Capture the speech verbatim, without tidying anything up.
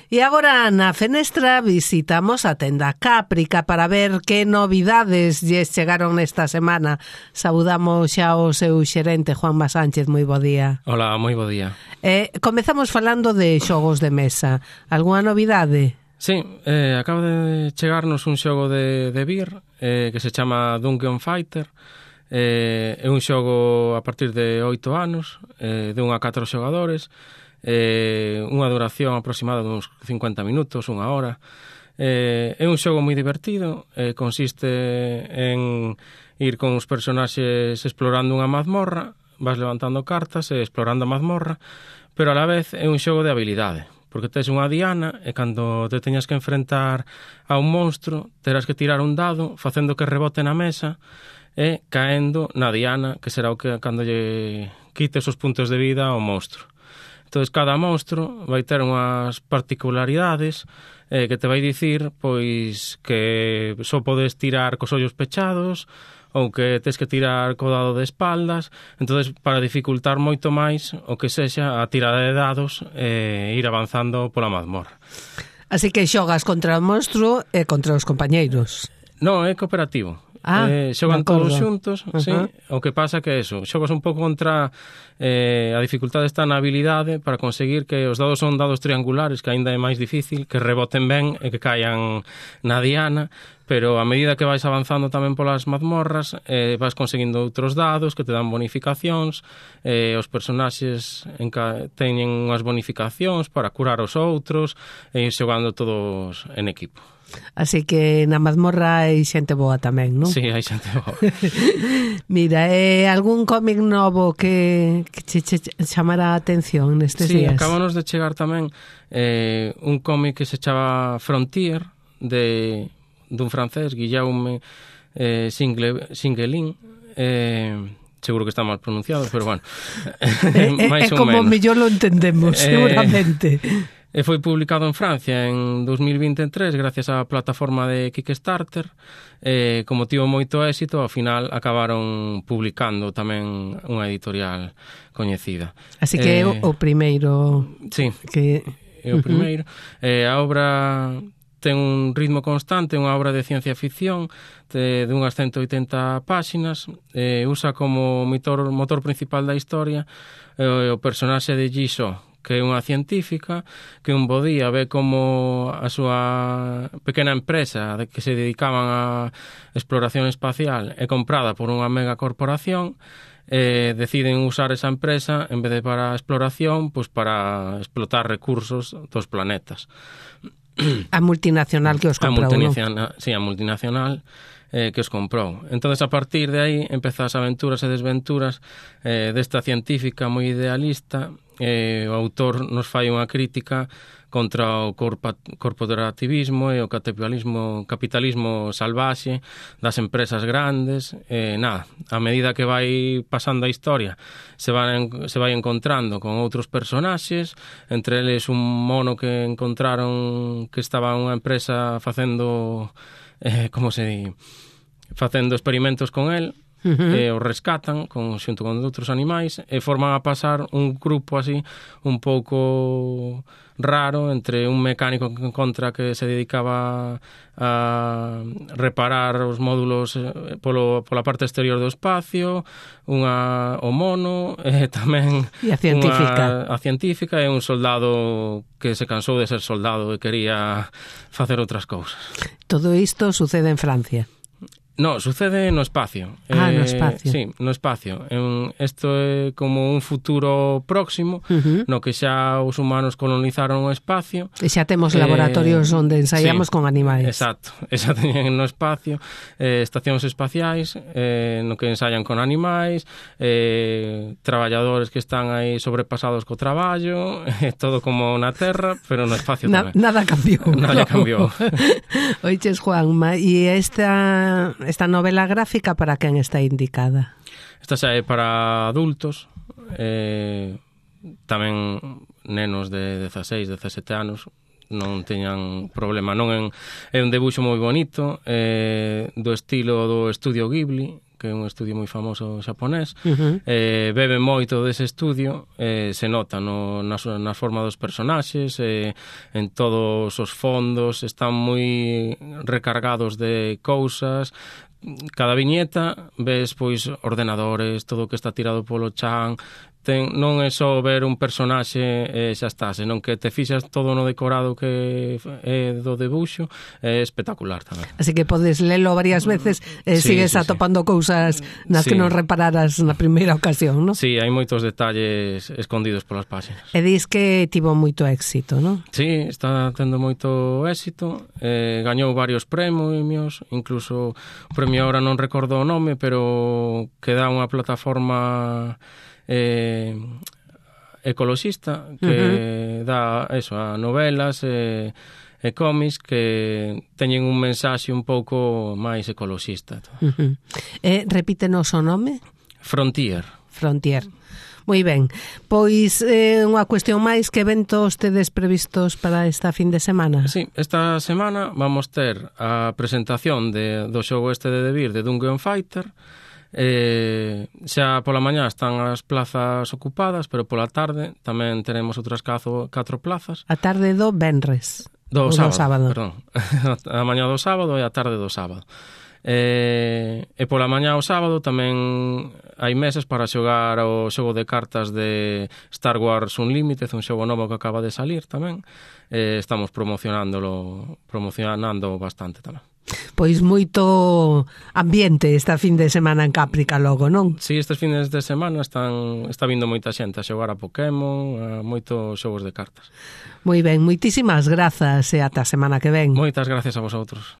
E agora na fenestra visitamos a tenda Cáprica para ver que novidades lles chegaron nesta semana. Saudamos xa o seu xerente, Juanma Sánchez, moi bo día. Hola, moi bo día. Eh, comezamos falando de xogos de mesa. Algúa novidade? Sí, eh, acaba de chegarnos un xogo de, de Vir eh, que se chama Dungeon Fighter. Eh, é un xogo a partir de oito anos, eh, de un a catro xogadores. Eh, unha duración aproximada de uns cincuenta minutos, unha hora. Eh, é un xogo moi divertido, eh, consiste en ir con os personaxes explorando unha mazmorra, vas levantando cartas e explorando a mazmorra, pero a la vez é un xogo de habilidade, porque tes unha diana e cando te teñas que enfrentar a un monstro, terás que tirar un dado facendo que rebote na mesa e caendo na diana, que será o que cando lle quites os puntos de vida ao monstro. Entón, cada monstro vai ter unhas particularidades eh, que te vai dicir pois que só podes tirar cos ollos pechados ou que tes que tirar co dado de espaldas. Entón, para dificultar moito máis o que sexa a tirada de dados e eh, ir avanzando pola mazmorra. Así que xogas contra o monstro e contra os compañeiros. Non, é cooperativo. Ah, eh, xogan todos xuntos, uh-huh. Sí. O que pasa que é eso, xogas un pouco contra eh, a dificultade está na habilidade para conseguir que os dados son dados triangulares, que aínda é máis difícil, que reboten ben e que caian na diana, pero a medida que vais avanzando tamén polas mazmorras, eh, vas conseguindo outros dados que te dan bonificacións, eh, os personaxes enca- teñen unhas bonificacións para curar os outros e ir xogando todos en equipo. Así que na mazmorra hai xente boa tamén, non? Sí, hai xente boa. Mira, é algún cómic novo que, que che, che chamara a atención nestes sí, días? Sí, acabamos de chegar tamén eh, un cómic que se chama Frontier, de dun francés, Guillaume eh, Single, Singelin, eh, seguro que está mal pronunciado, pero bueno. É, é como mellor lo entendemos, eh, seguramente. E foi publicado en Francia en dos mil vinte e tres gracias á plataforma de Kickstarter. Eh, como tivo moito éxito, ao final acabaron publicando tamén unha editorial coñecida. Así que é eh, o primeiro... Sí, que... é o primeiro. Uh-huh. Eh, a obra ten un ritmo constante, unha obra de ciencia ficción de, de unhas ciento oitenta páxinas. Eh, usa como motor, motor principal da historia eh, o personaxe de Jisoo, que é unha científica que un bo día ve como a súa pequena empresa de que se dedicaban a exploración espacial é comprada por unha mega corporación e deciden usar esa empresa en vez de para a exploración, pois para explotar recursos dos planetas. A multinacional que os comprou, non? Sí, a multinacional eh, que os comprou. Entón, a partir de aí, empeza as aventuras e desventuras eh, desta científica moi idealista. Eh, o autor nos fai unha crítica contra o corpa, corporativismo e o capitalismo, capitalismo salvaxe das empresas grandes. Eh, nada, a medida que vai pasando a historia se, van, se vai encontrando con outros personaxes, entre eles un mono que encontraron que estaba unha empresa facendo eh, como se di facendo experimentos con el. Uh-huh. E o rescatan con, xunto con outros animais e forman a pasar un grupo así un pouco raro entre un mecánico que encontra que se dedicaba a reparar os módulos polo, pola parte exterior do espacio, unha, o mono e tamén e a científica. Unha, a científica e un soldado que se cansou de ser soldado e quería facer outras cousas. Todo isto sucede en Francia? No, sucede no espacio. Ah, eh, no espacio. Sí, no espacio. Isto é como un futuro próximo, uh-huh. no que xa os humanos colonizaron o espacio. E xa temos eh, laboratorios onde ensaiamos sí, con animais. Exacto, xa teñen no espacio eh, estacións espaciais eh, no que ensayan con animais, eh, traballadores que están aí sobrepasados co traballo, eh, todo como na Terra, pero no espacio Na, tamén. Nada cambiou. Nada cambiou. Oiches, Juanma, e esta... Esta novela gráfica para quen está indicada? Esta xa é para adultos, eh, tamén nenos de dezaseis, dezasete anos, non teñan problema. Non en, é un debuxo moi bonito, eh, do estilo do Estudio Ghibli, que é un estudio moi famoso xaponés, Uh-huh. eh, bebe moito dese estudio, eh, se nota no, na, na forma dos personaxes, eh, en todos os fondos, están moi recargados de cousas. Cada viñeta ves pois ordenadores, todo o que está tirado polo chan. Ten, non é só ver un personaxe e xa está, senón que te fixas todo no decorado que é do debuxo, é espectacular tamén. Así que podes lelo varias veces e Sí, sigues sí, atopando sí. cousas nas Sí. que non repararas na primeira ocasión, non? Sí, hai moitos detalles escondidos polas páxinas. E dis que tivo moito éxito, non? Sí, está tendo moito éxito, eh, gañou varios premios, incluso o premio ahora non recordo o nome, pero que dá unha plataforma eh, ecoloxista que uh-huh. dá eso, a novelas e, e cómics que teñen un mensaxe un pouco máis ecoloxista. Uh-huh. E repítenos o nome? Frontier. Frontier. Moi ben. Pois eh, unha cuestión máis, que eventos tedes previstos para esta fin de semana? Sí, esta semana vamos ter a presentación de, do xogo este de Debir, de Dungeon Fighter. Eh, xa pola mañá están as plazas ocupadas, pero pola tarde tamén teremos outras catro, catro plazas. A tarde do venres. Do sábado, sábado, do sábado. Perdón. A mañá do sábado e a tarde do sábado. Eh, e pola mañá o sábado tamén hai mesas para xogar o xogo de cartas de Star Wars Unlimited, un xogo novo que acaba de salir tamén. Eh, estamos promocionándolo, promocionando bastante tamén. Pois moito ambiente esta fin de semana en Caprica logo, non? Sí, estes fines de semana están está vindo moita xente a xogar a Pokémon, a moitos xogos de cartas. Moi ben, moitísimas grazas e ata a semana que ven. Moitas gracias a vosotros.